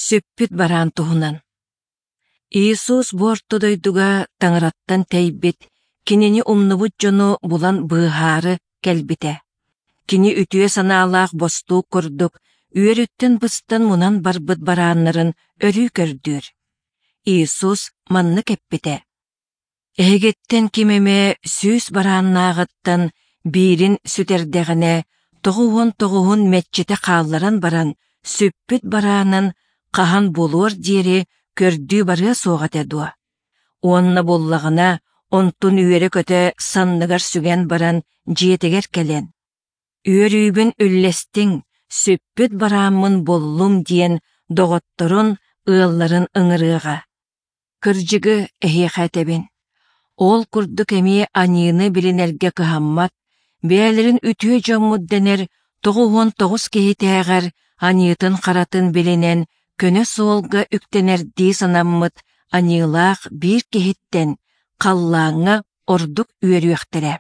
Сүппүт бараан туһунан. Иисус бу орто дойдуга Таҥараттан тэйбит, Кинини умнубут дьону булан быыһаары кэлбитэ. Кини үтүө санаалаах бостуук курдук үөрүттэн быстан мунан барбыт барааннарын өрүү көрдүүр. Иисус маннык эппитэ: Эһигиттэн ким эмэ 100 барааннааҕыттан биирин сүтэрдэҕинэ, 99-ун мэччитэ хаалларан баран, сүппүт бараанын хаһан буолуор диэри көрдүү барыа суох этэ дуо? Уонна буоллаҕына, онтун үөрэ-көтө санныгар сүгэн баран дьиэтигэр кэлэн, «Үөрүүбүн үллэстиҥ, сүппүт барааммын буллум» диэн доҕотторун, ыалларын ыҥырыаҕа. Кырдьыгы эһиэхэ этэбин, ол курдук эмиэ аньыыны билинэргэ кыһаммат, бэйэлэрин үтүө дьоммут дэнэр 99 киһитээҕэр аньыытын-харатын билинэн көнө суолга үктэнэрдии санаммыт аньыылаах биир киһиттэн халлааҥҥа ордук үөрүөхтэрэ.